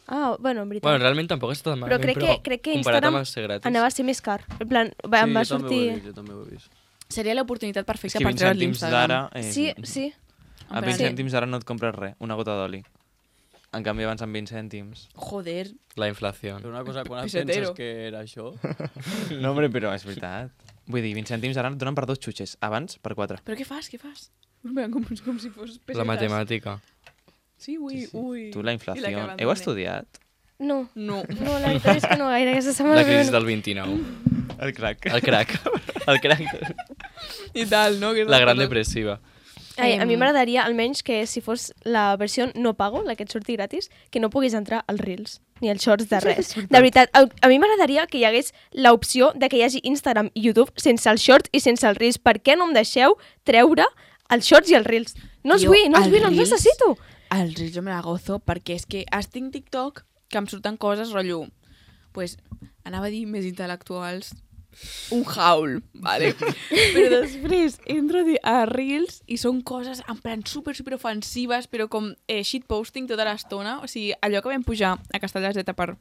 Ah, bueno, en veritat. Bueno, realment tampoc està tan Però malament, crec que comparat Instagram amb el ser gratis. anava a ser més car. En plan, em va jo també ho he sortir... vist, jo també ho he vist. Seria l'oportunitat És perfecta que per 20 treure cèntims d'ara... l'Instagram. Sí. A 20 cèntims d'ara no et compres res, una gota d'oli. En canvi, abans amb 20 cèntims... Joder. La inflació. Però una cosa, quan et Pesetero. penses que era això... No, hombre, però és veritat. Vull dir, 20 cèntims ara et donen per 2 xutxes. Abans, per 4. Però què fas? Com si fos pesetes. La matemàtica. Sí, ui. Tu, la inflació... Heu estudiat? No. No. No, la veritat és que no gaire. Aquesta setmana La crisi no. del 29. El crack. El crack. El crack. I tal, no? La gran depressiva. Ai, a mi m'agradaria, almenys, que si fos la versió no pago, la que et surti gratis, que no puguis entrar als Reels, ni als Shorts de res. De veritat, a mi m'agradaria que hi hagués l'opció de que hi hagi Instagram i YouTube sense els Shorts i sense els Reels. Per què no em deixeu treure els Shorts i els Reels? No els Tio, vull, no els els necessito. Els Reels jo me la gozo perquè és que tinc TikTok que em surten coses, rotllo, pues, anava a dir més intel·lectuals, un haul, vale? Però després entro a Reels i són coses en plan super ofensives, però com shitposting tota l'estona. O sigui, allò que vam pujar a Castelldefels per...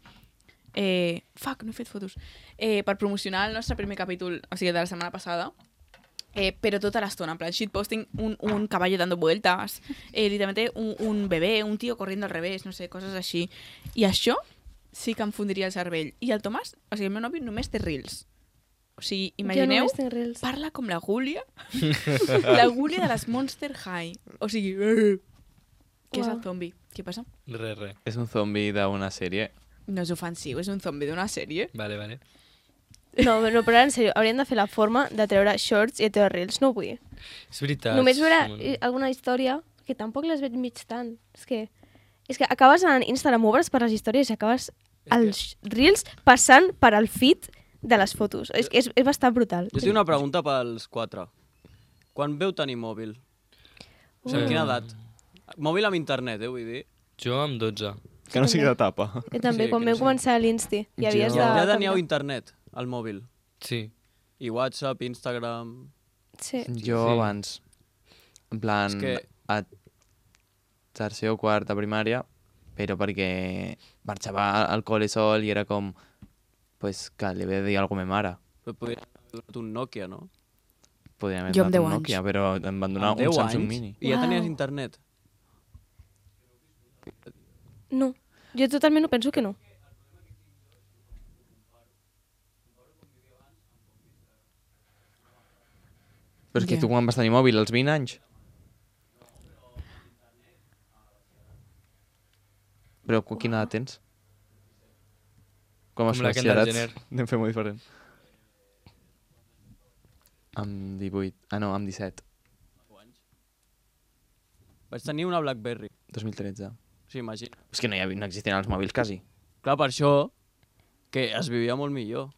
Fuck, no he fet fotos. Per promocionar el nostre primer capítol, o sigui, de la setmana passada, pero toda la zona, en plan, shitposting, un caballo dando vueltas, literalmente un bebé, un tío corriendo al revés, no sé, coses així. I això sí que em fundiria el cervell. I el Tomàs, o sigui, el meu nòvio només té Reels. O sigui, imagineu, Jo només tinc Reels. parla com la Gúlia, la Gúlia de les Monster High. O sigui, què és el Uau. zombi? Què passa? Re. És un zombi d'una sèrie. No és ofensiu, és un zombi d'una sèrie. Vale. No, però ara, en sèrio, haurien de fer la forma de treure Shorts i de treure Reels. No ho vull. És veritat. Només veure alguna història, que tampoc les veig mig tant. És que acabes en Instagram, obres per les històries i acabes els Reels passant per al feed de les fotos. És bastant brutal. Jo tinc una pregunta pels 4. Quan veu tenir mòbil? O sigui, amb quina edat? Mòbil amb internet, vull dir. Jo amb 12. Que no sigui de tapa. I també, Sí, quan que vam no sé. començar l'Insti, i havies de... Ja teníeu internet al mòbil. Sí. I WhatsApp, Instagram... Sí. Jo Sí. abans, en plan, És que- a tercer o quart de primària, però perquè marxava al col·le sol i era com, pues, que li havia de dir alguna cosa a ma mare. Però podria haver donat un Nokia, no? Podríem haver Jo amb donat 10 un anys. Nokia, però em van donar Amb un 10 Samsung anys? Mini. I ja Uau. tenies internet? No, jo totalment ho penso que no. Però és que Ja. tu quan vas tenir mòbil, als 20 anys? Però quina edat tens? Com Com la Kendall batxillerat? Anem fer molt diferent. Amb 18. Ah, no, amb 17. Vaig tenir una BlackBerry. 2013. Sí, imagina. És que no existien els mòbils, quasi. Clar, per això que es vivia molt millor.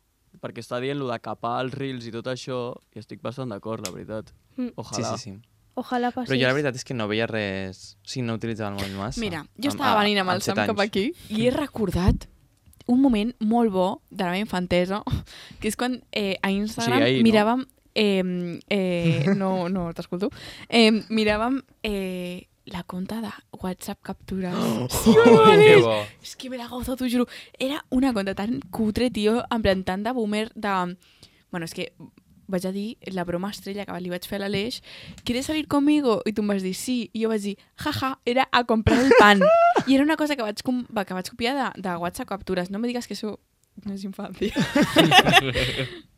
Perquè està dient lo de capar els reels i tot això, i estic bastant d'acord, la veritat. Mm. Ojalà. Sí. Ojalà Però passés. jo la veritat és que no veia res... Si no utilitzava el mòbil massa. Mira, jo estava venint amb el Sam cap aquí i he recordat un moment molt bo de la meva infantesa, que és quan a Instagram ahir, no? miràvem... no t'escolto. Miràvem la conta de WhatsApp captures. Sí, Que bo. és que me la gozo, t'ho juro. Era una conta tan cutre, tio, en plan tant de boomer, de... Bueno, és que vaig a dir la broma estrella que li vaig fer a l'Aleix. ¿Quieres salir conmigo? I tu em vas dir sí. I jo vaig dir, jaja, era a comprar el pan. I era una cosa que vaig copiar de WhatsApp captures. No me digues que això no és infància.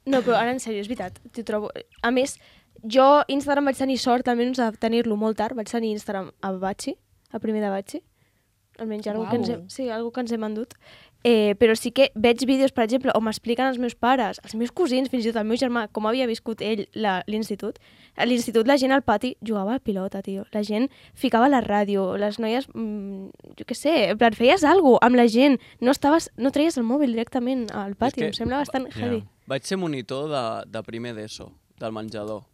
No, però ara en sèrio, és veritat. T'ho trobo... A més, jo Instagram vaig tenir sort, almenys de tenir-lo molt tard. Vaig tenir Instagram a Batxi, a primer de Batxi. Almenys algú que ens hem, sí, algú que ens hem endut. Però sí que veig vídeos, per exemple, on m'expliquen els meus pares, els meus cosins, fins i tot el meu germà, com havia viscut ell l'institut. A l'institut la gent al pati jugava a pilota, tio. La gent ficava la ràdio, les noies, jo què sé, en plan, feies alguna cosa amb la gent. No treies el mòbil directament al pati, em sembla bastant heavy. Vaig ser monitor de primer d'ESO, del menjador.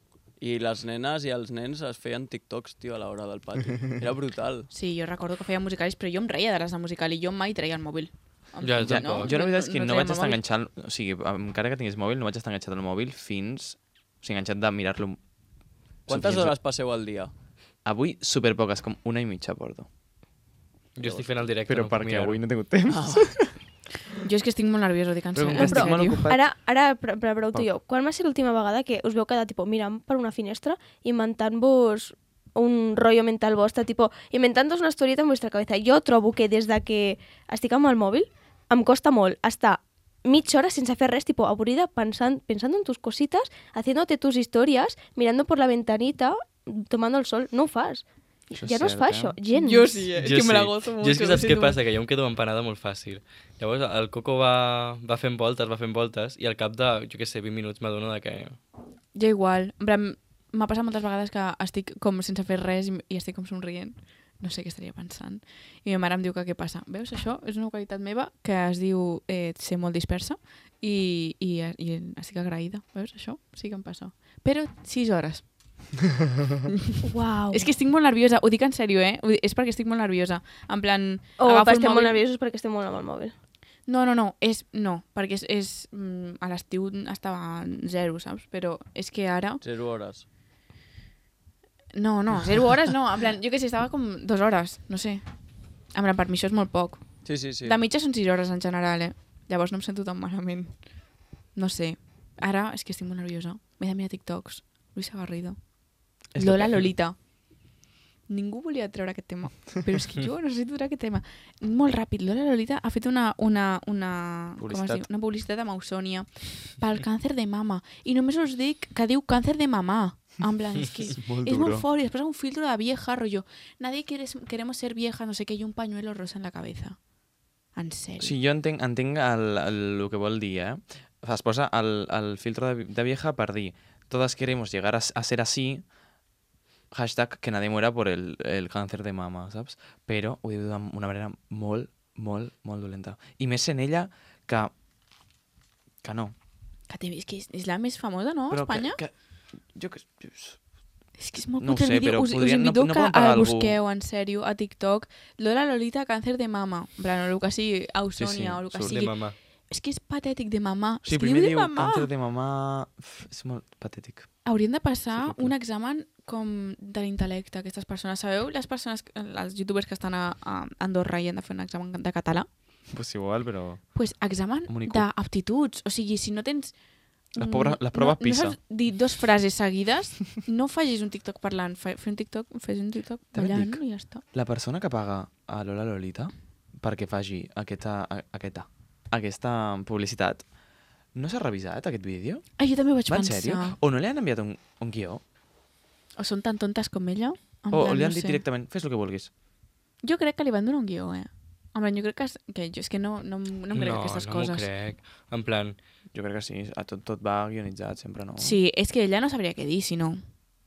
I les nenes i els nens es feien TikToks, tio, a l'hora del pati. Era brutal. Sí, jo recordo que feia musicalis, però jo em reia de les de musical i jo mai treia el mòbil. Ja, Ja, tampoc. jo la veritat és que no vaig treia el estar mòbil. enganxant... O sigui, encara que tingués mòbil, no vaig estar enganxat al mòbil fins... O sigui, enganxat de mirar-lo... Quantes hores passeu al dia? Avui, superpoques, com 1,5 porto. Jo estic fent el directe. Però no puc perquè mirar-ho. avui no he tingut temps. Jo és que estic molt nerviosa, ho dic en Però com sèrio. que estic però- molt ocupat... Ara pregunto jo, quan va ser l'última vegada que us veu quedar tipo, mirant per una finestra, inventant-vos un rotllo mental vostre, tipo, inventant-vos una historieta en vostra cabeza? Jo trobo que des de que estic amb el mòbil em costa molt estar mitja hora sense fer res, tipo, avorrida, pensando en tus cositas, haciéndote tus historias, mirando por la ventanita, tomando el sol. No ho fas. Això és Ja no es fa cert, això, eh? gens. Jo sí, és Jo que me la sí. gozo molt. Jo és que saps què passa? Que jo em quedo empanada molt fàcil. Llavors el Coco va fent voltes, i al cap de, jo què sé, 20 minuts m'adono de que... Jo igual. En plan, m'ha passat moltes vegades que estic com sense fer res i estic com somrient. No sé què estaria pensant. I ma mare em diu que què passa. Veus, això és una qualitat meva que es diu ser molt dispersa i estic agraïda. Veus, això sí que em passa. Però 6 hores. Uau. És que estic molt nerviosa. Ho dic en sèrio, eh? És perquè estic molt nerviosa. En plan, O agafo el estem molt mòbil... nerviosos perquè estem molt amb el mòbil. No, perquè a l'estiu estava 0, saps? Però és que ara... 0 hores. No, 0 hores no. En plan, jo què sé, estava com 2 hores, no sé. En plan, per mi això és molt poc. Sí, sí, sí. De mitja són 6 hores en general, eh? Llavors no em sento tan malament. No sé. Ara és que estic molt nerviosa. M'he de mirar TikToks. Luisa Garrido. Lola Lolita. Ningú volia treure aquest tema, però és que jo necessito treure aquest tema. Molt ràpid, Lola Lolita ha fet una Publicitat. una publicitat amb Ausònia pel càncer de mama. I només us dic que diu càncer de mamà. En plan, és que És molt és molt duro. fort. I després un filtro de vieja, rollo. Nadie queremos ser vieja, no sé què, y un pañuelo rosa en la cabeza. En sèrio. Sí, jo entenc el que vol dir, eh? Es posa el filtro de vieja per dir todas queremos llegar a ser así, hashtag que nadie muera por el càncer de mama, saps? Però ho diu d'una manera molt, molt, molt dolenta. I més en ella que no. És que és la més famosa, no, a Espanya? Jo que... És que és molt No ho cutre el sé, vídeo. però Us podrien- invito no que poden pagar el algú. busqueu, en sèrio, a TikTok. Lola Lolita, càncer de mama. En plan, o el que sigui, Ausònia, Sí, sí, o el que surt De sigui. mamà. És que és patètic de mamà. Sí, és que primer diu diu de mamà. càncer de mamà... És molt patètic. Haurien de passar És horrible. un examen com de l'intel·lecte, aquestes persones. Sabeu les persones, els youtubers que estan a Andorra i han de fer un examen de català? Pues igual, però... Pues examen Un IQ. d'aptituds. O sigui, si no tens... Les proves PISA. No saps dir 2 frases seguides, no facis un TikTok parlant. Fes un TikTok També et ballant dic. i ja està. La persona que paga a Lola Lolita perquè faci aquesta publicitat, no s'ha revisat aquest vídeo? Ah, jo també ho vaig Va en pensar. sèrio? O no li han enviat un guió? O són tan tontes com ella? En O plan, li han no dit sé. directament, fes el que vulguis? Jo crec que li van donar un guió, eh? En plan, jo crec que jo és que no em crec aquestes no coses. m'ho crec. En plan, Jo crec que sí, tot va guionitzat, sempre no. Sí, és que ella no sabria què dir, si no.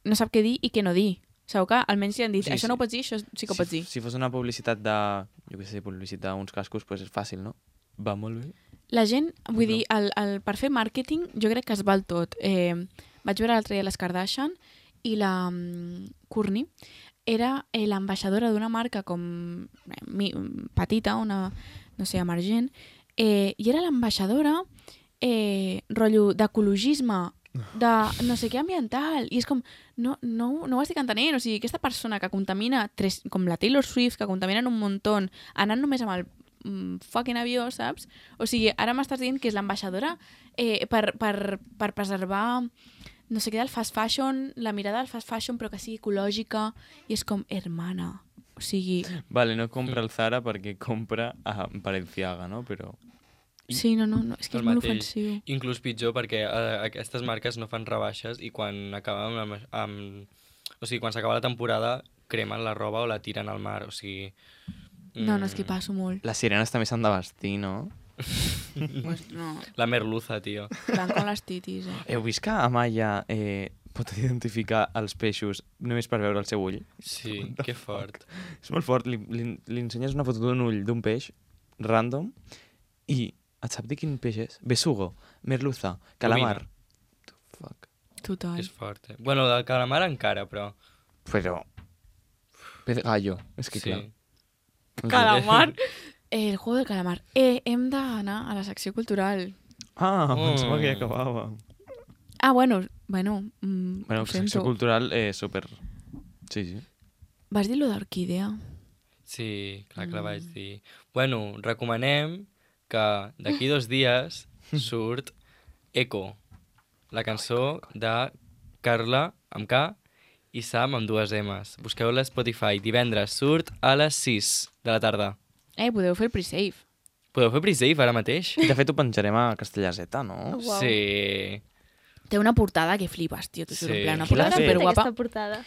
No sap què dir i què no dir. Sabeu que almenys li han dit, Sí, això sí. no ho pots dir, això sí que ho pots dir. Si fos una publicitat de, jo què sé, publicitat d'uns cascos, pues és fàcil, no? Va molt bé. La gent, vull dir, per fer màrqueting jo crec que es val tot. Vaig veure l'altre dia les Kardashian i la Courtney era l'ambaixadora d'una marca com petita, una, no sé, emergent, i era l'ambaixadora rotllo d'ecologisme, de no sé què ambiental, i és com, no ho estic entenent, o sigui, aquesta persona que contamina, com la Taylor Swift, que contaminen un muntó, anant només amb el fucking avió, saps? O sigui, ara m'estàs dient que és l'ambaixadora per preservar no sé què del fast fashion, la mirada del fast fashion però que sigui ecològica, i és com, hermana, o sigui... Vale, no compra el Zara perquè compra a Balenciaga, no? Però... Sí, no, és que és molt ofensiu. Inclús pitjor perquè aquestes marques no fan rebaixes i quan acaben o sigui, quan s'acaba la temporada cremen la roba o la tiren al mar, o sigui... No, és que passo molt. Les sirenes també s'han de vestir, no? Pues no. La merluza, tio. Van com les titis, Heu vist que Amaya pot identificar els peixos només per veure el seu ull? Sí, que fort. És molt fort. Li ensenyes una foto d'un ull d'un peix random i et sap dir quin peix és? Besugo, merluza, calamar. Fuck. Total. És fort, Bueno, del calamar encara, però... Però... Pez gallo, és que Sí. clar. Calamar. El juego del calamar. Hem d'anar a la secció cultural. Pensava que ja acabava. Bueno, Bueno, ho secció sento. cultural, super... Sí. Vas dir lo d'orquídea? Sí, clar que la vaig dir. Bueno, recomanem que d'aquí 2 dies surt Echo, la cançó de Carla, amb K, i Sam, amb 2 M's. Busqueu-la a Spotify. Divendres surt a les 6 de la tarda. Podeu fer el pre-save. Podeu fer pre-save ara mateix? De fet, ho penjarem a Castellà Z, no? Uau. Sí. Té una portada que flipes, tio. Sí. Una Qui l'ha portada fet? superguapa. Aquesta portada.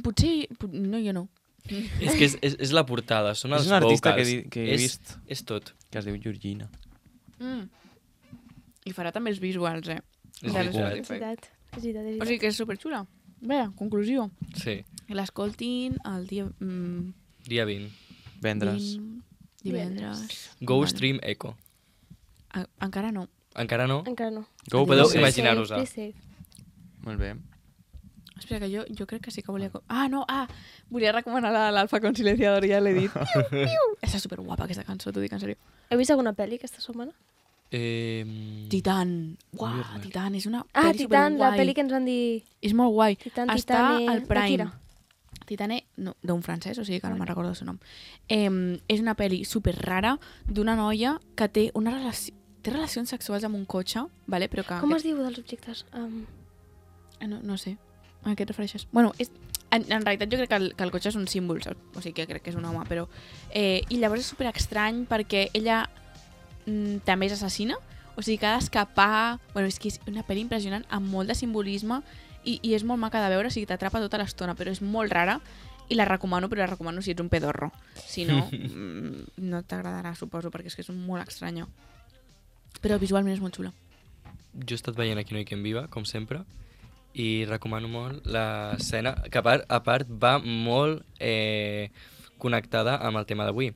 Potser... No, jo no. És que és la portada, són els És un artista vocals. que he vist, És tot. que es diu Georgina. I farà també els visuals, És De veritat. És veritat. És veritat. O sigui que és superxula. Bé, conclusió. Sí. Que l'escoltin el dia... Dia 20. Vendres. Divendres. Go Vale. Stream Echo. Encara no. Encara no? Encara no. Go Podeu Pre-Save. imaginar-vos-ho. Pre-save. Molt bé. Espera, que jo crec que sí que volia... volia recomanar l'Alfa con silenciador, ja l'he dit. Està superguapa aquesta cançó, t'ho dic en sèrio. Heu vist alguna pel·li aquesta setmana? Titan. Uau, Viernes. Titan, és una Ah, pel·li Titan, la superguai. pel·li que ens van dir... És molt guai. Titan, Està Titane... al de qui Prime. era? Titane, no, d'un francès, o sigui que no me'n recordo el seu nom. És una pel·li super rara d'una noia que té una relació... Té relacions sexuals amb un cotxe, vale? Però que... Com es diu dels objectes? No sé. A què et refereixes? Bueno, en realitat jo crec que el cotxe és un símbol, saps? O sigui que crec que és un home, però... I llavors és super estrany perquè ella també és assassina, o sigui que ha d'escapar... Bueno, és que és una pel·li impressionant amb molt de simbolisme i és molt maca de veure, o sigui, t'atrapa tota l'estona, però és molt rara i la recomano, però la recomano si ets un pedorro. Si no, no t'agradarà, suposo, perquè és que és molt estranya. Però visualment és molt xula. Jo he estat veient Aquí no hi quien viva, com sempre, i recomano molt l'escena, que a part va molt connectada amb el tema d'avui.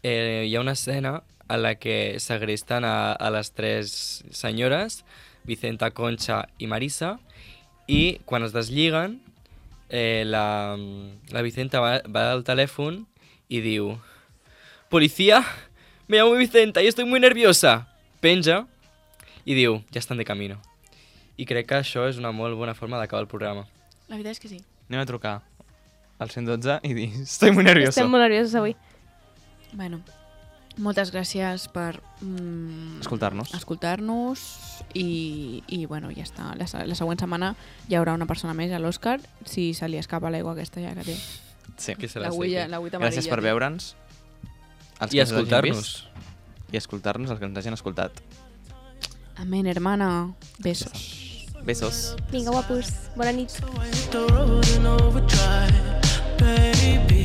Hi ha una escena en la que segresten a les 3 senyores, Vicenta, Concha i Marisa, i quan es deslliguen, la Vicenta va al telèfon i diu: «Policía, me llamo Vicenta y estoy muy nerviosa». Penja i diu: «Ja estan de camino». I crec que això és una molt bona forma d'acabar el programa. La veritat és que sí. Anem a trucar al 112 i dir: estoy muy nervioso. Estem molt nerviosos avui. Bueno, moltes gràcies per Escoltar-nos. i bueno, ja està. La següent setmana hi haurà una persona més a l'Òscar, si se li escapa l'aigua aquesta ja que té. Sí. Que se la L'agüita amarilla. Gràcies per veure'ns. Els I que ens hagin escoltar-nos. vist, I escoltar-nos, els que ens hagin escoltat. Amén, hermana. Besos. Besos. Vinga, guapos. Bona nit. The road in overdrive, baby.